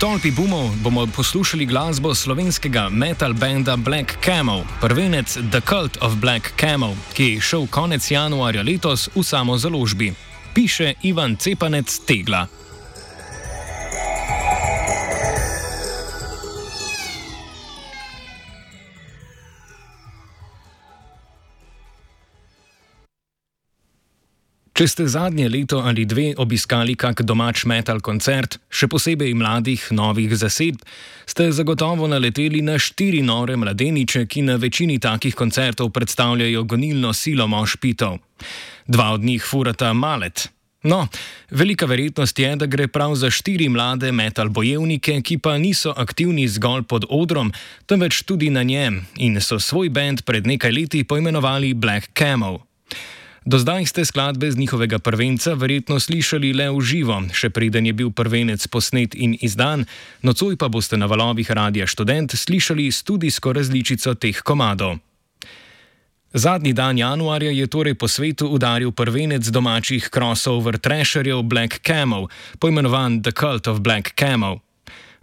tolpi boomov bomo poslušali glasbo slovenskega metal benda Black Camel, prvenec The Cult of Black Camel, ki je šel konec januarja letos v samozaložbi. Piše Ivan Cepanec Tegla. Če ste zadnje leto ali dve obiskali kak domač metal koncert, še posebej mladih, novih zasedb, ste zagotovo naleteli na 4 nore mladeniče, ki na večini takih koncertov predstavljajo gonilno silo mošpitov. 2 od njih furata malet. No, velika verjetnost je, da gre prav za 4 mlade metal bojevnike, ki pa niso aktivni zgolj pod odrom, temveč tudi na njem in so svoj bend pred nekaj leti poimenovali Black Camel. Do zdaj ste skladbe z njihovega prvenca verjetno slišali le v živo, še preden je bil prvenec posnet in izdan, nocoj pa boste na valovih Radia Študent slišali studijsko različico teh komadov. Zadnji dan januarja je torej po svetu udaril prvenec domačih crossover trasherjev Black Camel, poimenovan The Cult of Black Camel.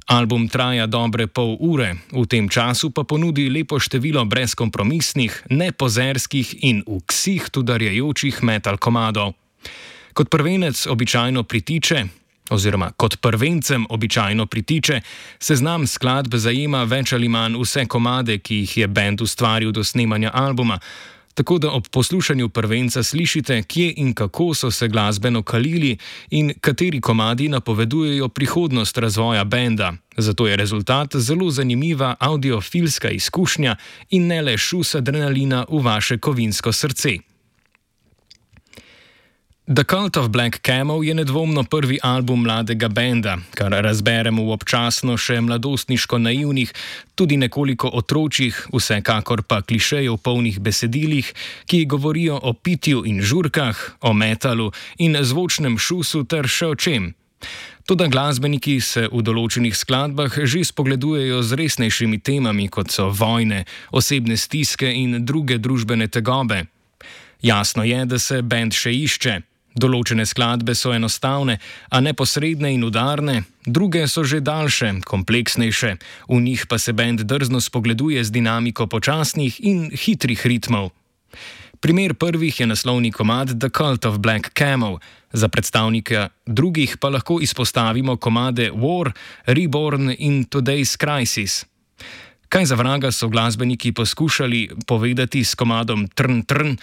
Album traja dobre pol ure, v tem času pa ponudi lepo število brezkompromisnih, nepozerskih in v ksih udarjajočih metal komadov. Kot prvencem običajno pritiče, seznam skladb zajema več ali manj vse komade, ki jih je bend ustvaril do snemanja albuma, tako da ob poslušanju prvenca slišite, kje in kako so se glasbeno kalili in kateri komadi napovedujejo prihodnost razvoja benda. Zato je rezultat zelo zanimiva audiofilska izkušnja in ne le šus adrenalina v vaše kovinsko srce. The Cult of Black Camel je nedvomno prvi album mladega benda, kar razberemo v občasno še mladostniško naivnih, tudi nekoliko otročjih, vsekakor pa klišejev polnih besedilih, ki govorijo o pitju in žurkah, o metalu in zvočnem šusu ter še o čem. Toda glasbeniki se v določenih skladbah že spogledujejo z resnejšimi temami, kot so vojne, osebne stiske in druge družbene tegobe. Jasno je, da se bend še išče. Določene skladbe so enostavne, a neposredne in udarne, druge so že daljše, kompleksnejše, v njih pa se bend drzno spogleduje z dinamiko počasnih in hitrih ritmov. Primer prvih je naslovni komad The Cult of Black Camel, za predstavnike drugih pa lahko izpostavimo komade War, Reborn in Today's Crisis. Kaj za vraga so glasbeniki poskušali povedati s komadom Trn Trn,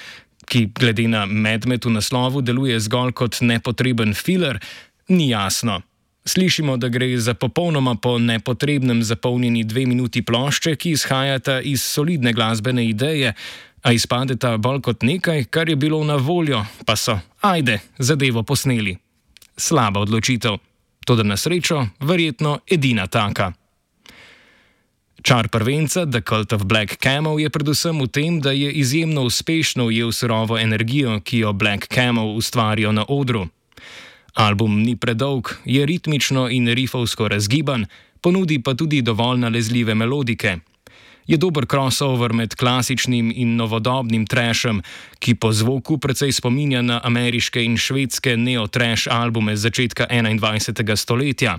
ki glede na medmet v naslovu deluje zgolj kot nepotreben filler, ni jasno. Slišimo, da gre za popolnoma po nepotrebnem zapolnjeni 2 minuti plošče, ki izhajata iz solidne glasbene ideje, a izpadeta bolj kot nekaj, kar je bilo na voljo, pa so, zadevo posneli. Slaba odločitev. Toda na srečo, verjetno edina taka. Čar prvenca The Cult of Black Camel je predvsem v tem, da je izjemno uspešno ujel surovo energijo, ki jo Black Camel ustvarijo na odru. Album ni predolg, je ritmično in rifovsko razgiban, ponudi pa tudi dovolj nalezljive melodike. Je dober crossover med klasičnim in novodobnim trashem, ki po zvoku precej spominja na ameriške in švedske neo-trash albume z začetka 21. stoletja.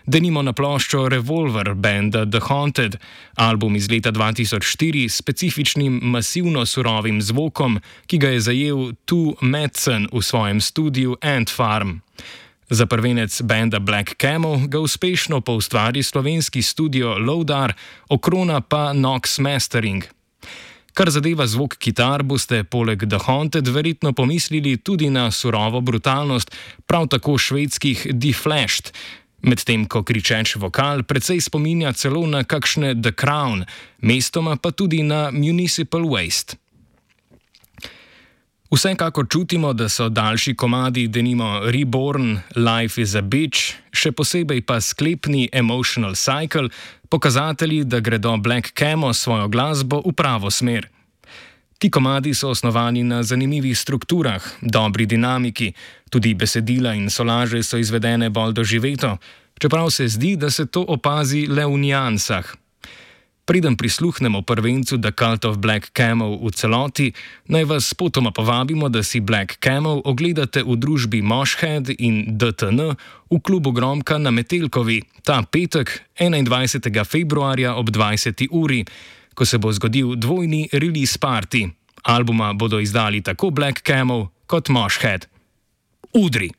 Denimo na ploščo Revolver benda The Haunted, album iz leta 2004 s specifičnim masivno surovim zvokom, ki ga je zajel Tu Madsen v svojem studiu Ant Farm. Za prvenec benda Black Camel ga uspešno poustvari slovenski studio Loudar, okrona pa Nox Mastering. Kar zadeva zvok kitar, boste poleg The Haunted verjetno pomislili tudi na surovo brutalnost prav tako švedskih Deflashed, medtem ko kričeč vokal precej spominja celo na kakšne The Crown, mestoma pa tudi na Municipal Waste. Vsekakor čutimo, da so daljši komadi, denimo Reborn, Life is a Bitch, še posebej pa sklepni Emotional Cycle, pokazatelji, da gredo Black Camel svojo glasbo v pravo smer. Ti komadi so osnovani na zanimivih strukturah, dobri dinamiki, tudi besedila in solaže so izvedene bolj doživeto, čeprav se zdi, da se to opazi le v niansah. Preden prisluhnemo prvencu The Cult of Black Camel v celoti, naj vas spotoma povabimo, da si Black Camel ogledate v družbi Moshhead in DTN v klubu Gromka na Metelkovi ta petek 21. februarja ob 20. uri, ko se bo zgodil dvojni release party. Albuma bodo izdali tako Black Camel kot Moshhead. Udri!